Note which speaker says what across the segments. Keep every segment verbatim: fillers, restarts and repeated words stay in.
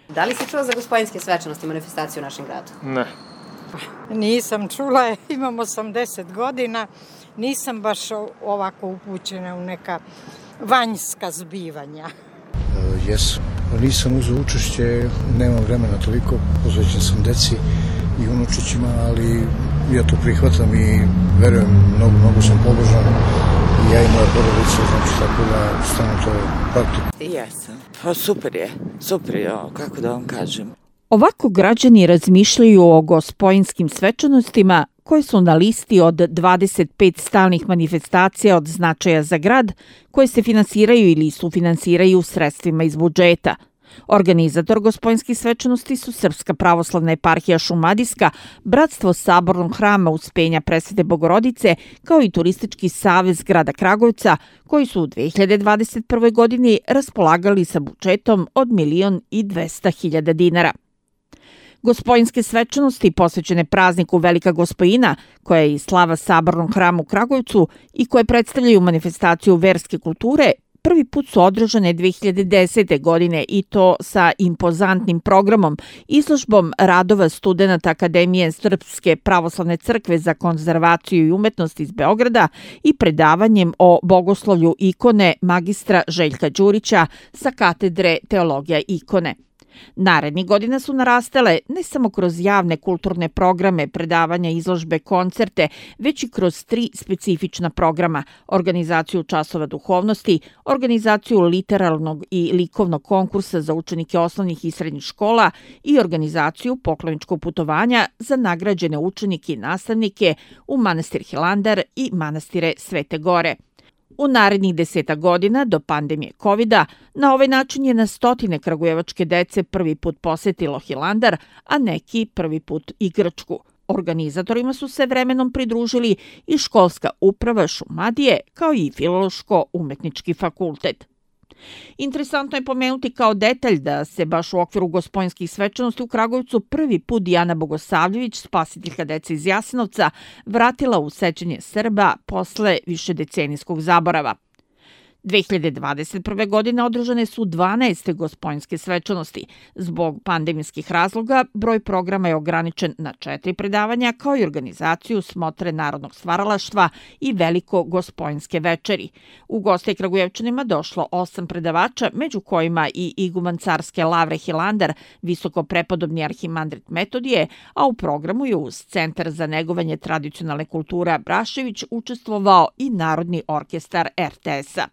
Speaker 1: Da li si čuo za Gospojinske svečanosti, manifestaciju u našem gradu?
Speaker 2: Ne.
Speaker 3: Nisam čula, imam osamdeset godina, nisam baš ovako upućena u neka vanjska zbivanja.
Speaker 4: Uh, jesam. Nisam uzeo učešće, nemam vremena toliko, posvećen sam deci i unučićima, ali ja to prihvatam i verujem, mnogo, mnogo sam pobožan i ja i moja porodica, znači tako da stano to praktikujem.
Speaker 5: Jesam. Pa super je, super je, kako da vam kažem.
Speaker 6: Ovako građani razmišljaju o Gospojinskim svečanostima koje su na listi od dvadeset pet stalnih manifestacija od značaja za grad koje se finansiraju ili sufinansiraju sredstvima iz budžeta. Organizator Gospojinskih svečanosti su Srpska pravoslavna eparhija Šumadijska, Bratstvo sabornog hrama Uspenja Presvete Bogorodice, kao i Turistički savez grada Kragujevca, koji su u dve hiljade dvadeset prve. godini raspolagali sa budžetom od milion i dvesta hiljada dinara. Gospojinske svečanosti posvećene prazniku Velika Gospojina, koja je i slava sabornog hrama u Kragujevcu i koje predstavljaju manifestaciju verske kulture, prvi put su održane dve hiljade desete. godine i to sa impozantnim programom, izložbom radova studenata Akademije Srpske pravoslavne crkve za konzervaciju i umetnost iz Beograda i predavanjem o bogoslovlju ikone magistra Željka Đurića sa katedre Teologija ikone. Narednih godina su narastale ne samo kroz javne kulturne programe, predavanja, izložbe, koncerte, već i kroz tri specifična programa: organizaciju časova duhovnosti, organizaciju literarnog i likovnog konkursa za učenike osnovnih i srednjih škola i organizaciju pokloničkog putovanja za nagrađene učenike i nastavnike u manastir Hilandar i manastire Svete Gore. U narednih deseta godina, do pandemije kovida, na ovaj način je na stotine kragujevačke dece prvi put posetilo Hilandar, a neki prvi put i Grčku. Organizatorima su se vremenom pridružili i školska uprava Šumadije, kao i Filološko-umetnički fakultet. Interesantno je pomenuti kao detalj da se baš u okviru Gospojinskih svečanosti u Kragujevcu prvi put Dijana Bogosavljević, spasiteljka dece iz Jasenovca, vratila u sećanje Srba posle višedecenijskog zaborava. dve hiljade dvadeset prve. godine održane su dvanaeste Gospojinske svečanosti. Zbog pandemijskih razloga, broj programa je ograničen na četiri predavanja, kao i organizaciju smotre narodnog stvaralaštva i Veliko Gospojinske večeri. U goste Kragujevčanima došlo osam predavača, među kojima i iguman carske lavre Hilandar, visoko prepodobni arhimandrit Metodije, a u programu je uz Centar za negovanje tradicionalne kulture Brašević učestvovao i Narodni orkestar er te es-a.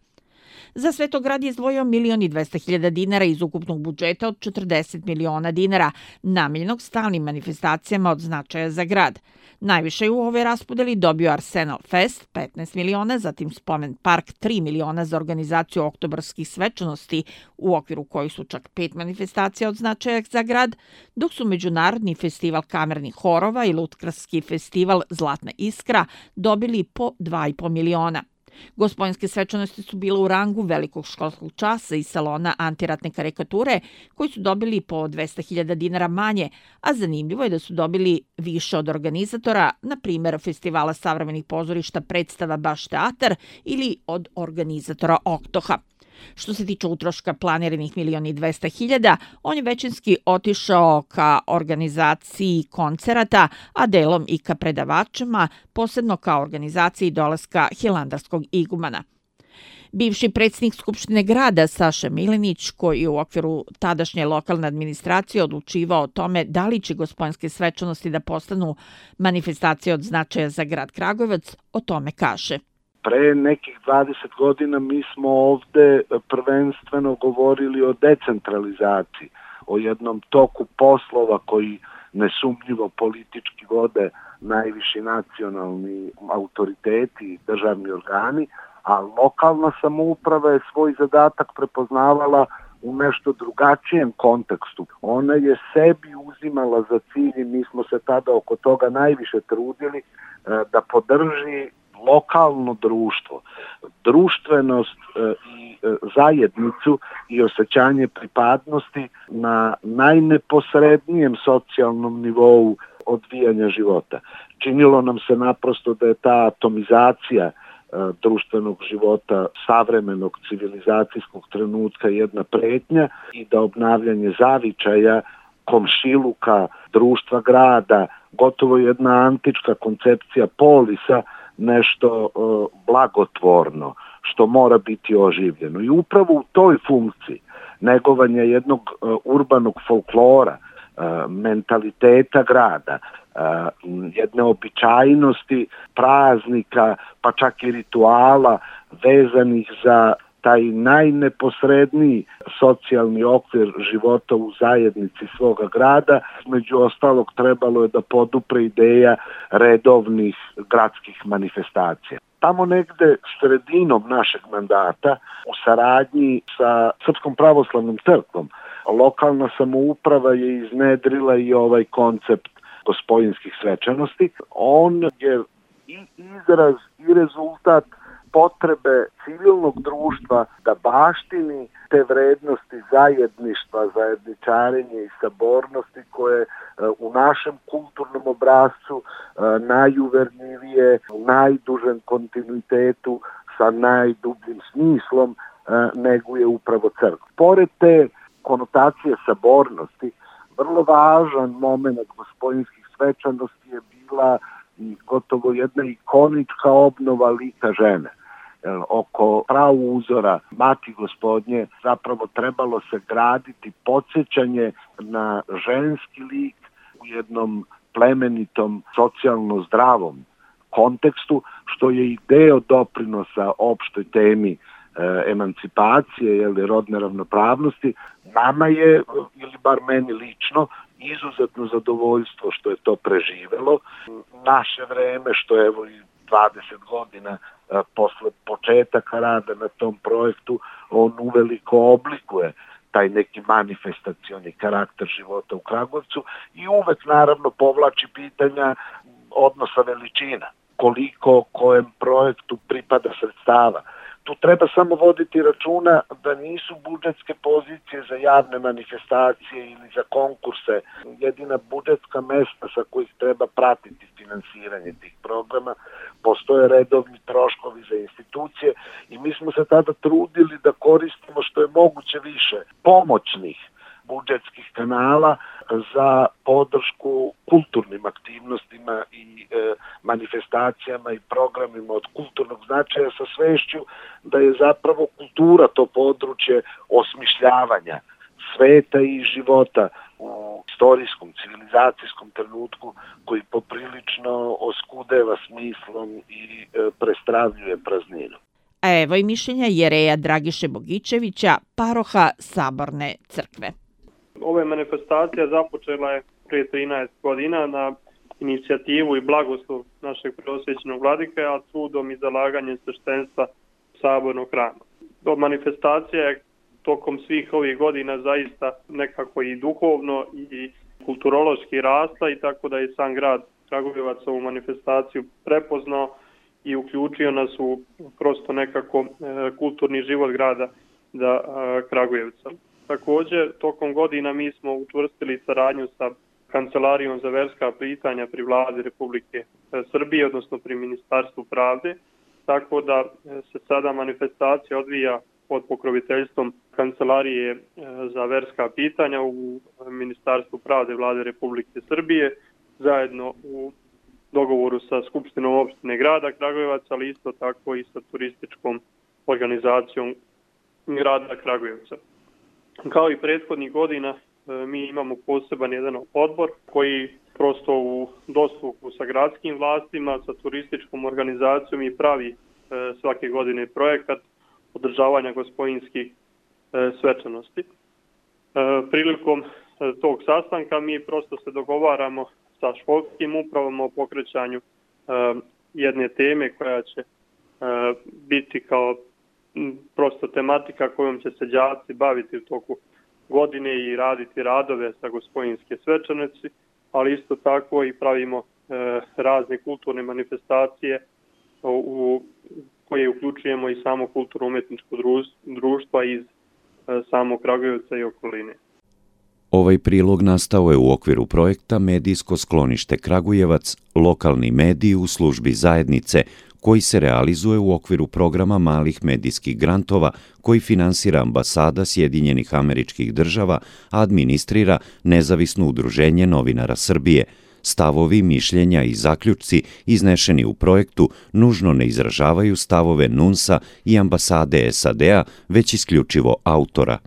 Speaker 6: Za Svetograd je izdvojio milion i dvesta hiljada dinara iz ukupnog budžeta od četrdeset miliona dinara, namenjenog stalnim manifestacijama od značaja za grad. Najviše je u ovoj raspodeli dobio Arsenal Fest, petnaest miliona, zatim Spomen Park, tri miliona za organizaciju oktobarskih svečanosti, u okviru kojih su čak pet manifestacija od značaja za grad, dok su Međunarodni festival kamernih horova i Lutkarski festival Zlatna iskra dobili po dva i po miliona. Gospojinske svečanosti su bile u rangu velikog školskog časa iz salona antiratne karikature, koji su dobili po dvesta hiljada dinara manje, a zanimljivo je da su dobili više od organizatora, na primjer Festivala savremenih pozorišta Predstava Baš teatar ili od organizatora Oktoha. Što se tiče utroška planiranih milion i dvesta hiljada, on je većinski otišao ka organizaciji koncerata, a delom i ka predavačima, posebno ka organizaciji dolaska hilandarskog igumana. Bivši predsjednik Skupštine grada Saša Milenić, koji je u okviru tadašnje lokalne administracije odlučivao o tome da li će Gospojinske svečanosti da postanu manifestacije od značaja za grad Kragujevac, o tome kaže.
Speaker 7: Pre nekih dvadeset godina mi smo ovde prvenstveno govorili o decentralizaciji, o jednom toku poslova koji nesumnjivo politički vode najviši nacionalni autoriteti i državni organi, a lokalna samouprava je svoj zadatak prepoznavala u nešto drugačijem kontekstu. Ona je sebi uzimala za cilj i mi smo se tada oko toga najviše trudili da podrži lokalno društvo, društvenost i zajednicu i osjećanje pripadnosti na najneposrednijem socijalnom nivou odvijanja života. Činilo nam se naprosto da je ta atomizacija društvenog života savremenog civilizacijskog trenutka jedna pretnja i da obnavljanje zavičaja, komšiluka, društva grada, gotovo jedna antička koncepcija polisa, nešto blagotvorno, što mora biti oživljeno. I upravo u toj funkciji negovanja jednog urbanog folklora, mentaliteta grada, jedne običajnosti praznika, pa čak i rituala vezanih za taj najneposredniji socijalni okvir života u zajednici svoga grada. Među ostalog trebalo je da podupre ideja redovnih gradskih manifestacija. Tamo negde sredinom našeg mandata u saradnji sa Srpskom pravoslavnom crkvom lokalna samouprava je iznedrila i ovaj koncept gospojinskih svečanosti. On je i izraz i rezultat potrebe civilnog društva da baštini te vrednosti zajedništva, zajedničarenja i sabornosti koje u našem kulturnom obrascu najuverljivije, u najdužem kontinuitetu, sa najdubljim smislom neguje upravo crkva. Pored te konotacije sabornosti, vrlo važan moment gospojinskih svečanosti je bila gotovo jedna ikonička obnova lika žene. Oko pravu uzora Mati Gospodnje zapravo trebalo se graditi podsjećanje na ženski lik u jednom plemenitom, socijalno zdravom kontekstu, što je i deo doprinosa opštoj temi e, emancipacije ili rodne ravnopravnosti. Nama je, ili bar meni lično, izuzetno zadovoljstvo što je to preživelo. Naše vreme, što evo i dvadeset godina a, posle početaka rada na tom projektu, on uveliko oblikuje taj neki manifestacioni karakter života u Kragujevcu i uvek naravno povlači pitanja odnosa veličina, koliko kojem projektu pripada sredstava. Tu treba samo voditi računa da nisu budžetske pozicije za javne manifestacije ili za konkurse jedina budžetska mesta sa kojih treba pratiti finansiranje tih programa. Postoje redovni troškovi za institucije i mi smo se tada trudili da koristimo što je moguće više pomoćnih budžetskih kanala za podršku kulturnim aktivnostima i e, manifestacijama i programima od kulturnog značaja, sa svešću da je zapravo kultura to područje osmišljavanja sveta i života u istorijskom, civilizacijskom trenutku koji poprilično oskudeva smislom i e, prestravljuje prazninu.
Speaker 6: A evo i mišljenja jereja Dragiše Bogićevića, paroha Saborne crkve.
Speaker 2: Ova manifestacija započela je prije trinaest godina na inicijativu i blagoslov našeg preosvećenog vladike, a trudom i zalaganjem sveštenstva Sabornog hrama. Do manifestacija je tokom svih ovih godina zaista nekako i duhovno i kulturološki rasla i tako da je sam grad Kragujevac ovu manifestaciju prepoznao i uključio nas u prosto nekako e, kulturni život grada da e, Kragujevca. Također, tokom godina mi smo učvrstili saradnju sa Kancelarijom za verska pitanja pri Vladi Republike Srbije, odnosno pri Ministarstvu pravde, tako da se sada manifestacija odvija pod pokroviteljstvom Kancelarije za verska pitanja u Ministarstvu pravde Vlade Republike Srbije, zajedno u dogovoru sa Skupštinom opštine grada Kragujevac, ali isto tako i sa turističkom organizacijom grada Kragujevca. Kao i prethodnih godina, mi imamo poseban jedan odbor koji prosto u dosluhu sa gradskim vlastima, sa turističkom organizacijom i pravi svake godine projekat održavanja gospojinskih svečanosti. Prilikom tog sastanka mi prosto se dogovaramo sa školskim upravama o pokrećanju jedne teme koja će biti kao prosto tematika kojom će se đaci baviti u toku godine i raditi radove sa gospojinske svečanosti, ali isto tako i pravimo e, razne kulturne manifestacije u, u koje uključujemo i samo kulturno-umetničko društva iz e, samog Kragujevca i okoline.
Speaker 8: Ovaj prilog nastao je u okviru projekta Medijsko sklonište Kragujevac, lokalni mediji u službi zajednice, koji se realizuje u okviru programa malih medijskih grantova koji finansira ambasada Sjedinjenih Američkih Država, a administrira Nezavisno udruženje novinara Srbije. Stavovi, mišljenja i zaključci iznešeni u projektu nužno ne izražavaju stavove N U N S-a i ambasade S A D-a, već isključivo autora.